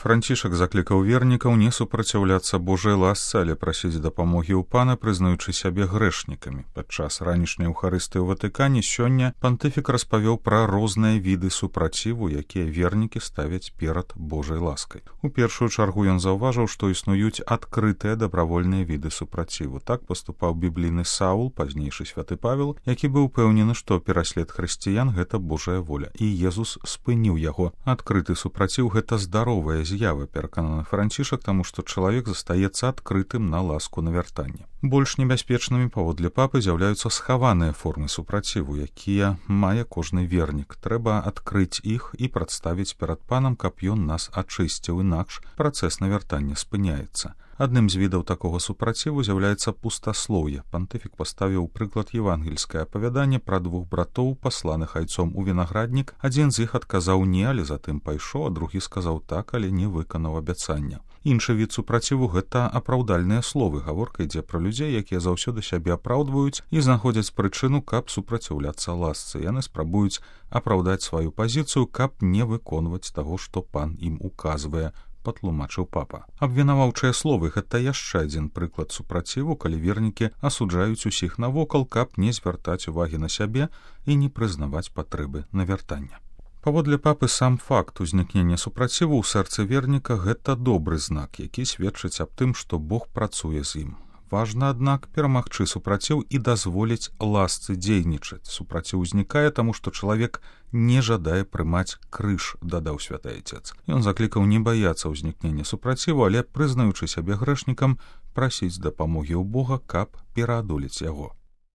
Францішак заклікаў вернікаў не супраціўляцца Божай ласцы, але прасіць дапамогі ў пана, прызнаючы сябе грэшнікамі. Падчас ранішняй эўхарыстыі ў Ватыкане сёння пантыфік распавёў пра розныя віды супраціву, якія вернікі ставяць перад Божай ласкай. У першую чаргу ён заўважыў, што існуюць адкрытыя дабравольныя віды супраціву. Так паступаў біблійны Саул, пазнейшы святы Павел, які быў упэўнены, што пераслед хрысціян гэта Божая воля. І Езус спыніў яго. Адкрыты супраціў гэта здаровая з'ява, перакананы Францішак, таму што чалавек застаецца адкрытым на ласку навяртання. Больш небяспечнымі паводле папы з'яўляюцца схаваныя формы супраціву, якія мае кожны вернік. Трэба адкрыць іх і прадставіць перад панам, каб ён нас ачысціў, інакш працэс навяртання спыняецца. Адным з відаў такога супраціву з'яўляецца пустаслоўе. Пантыфік паставіў прыклад евангельскае апавяданне пра двух братоў, пасланых айцом у вінаграднік. Адзін з іх адказаў не, але затым пайшоў, а другі сказаў так, але не выканаў абяцання. Іншы від супраціву гэта апраўдальныя словы. Гаворка ідзе пра людзей, якія заўсёды сябе апраўдваюць і знаходзяць прычыну, каб супраціўляцца ласцы. Яны спрабуюць апраўдаць сваю пазіцыю, каб не выконваць таго, што пан ім указвае, патлумачыў папа. Абвінаваўчыя словы гэта яшчэ адзін прыклад супраціву, калі вернікі асуджаюць усіх навокал, каб не звяртаць увагі на сябе і не прызнаваць патрэбы навяртання. Паводле папы сам факт узнікнення супраціву ў сэрцы верніка гэта добры знак, які сведчыць аб тым, што Бог працуе з ім. Важна, аднак, перамагчы супраціў і дазволіць ласцы дзейнічаць. Супраціў узнікае, таму што чалавек не жадае прымаць крыж, дадаў святы айцец. Ён заклікаў не баяцца ўзнікнення супраціву, але, прызнаючы сябе грэшнікам, прасіць дапамогі ў Бога, каб пераадолець яго.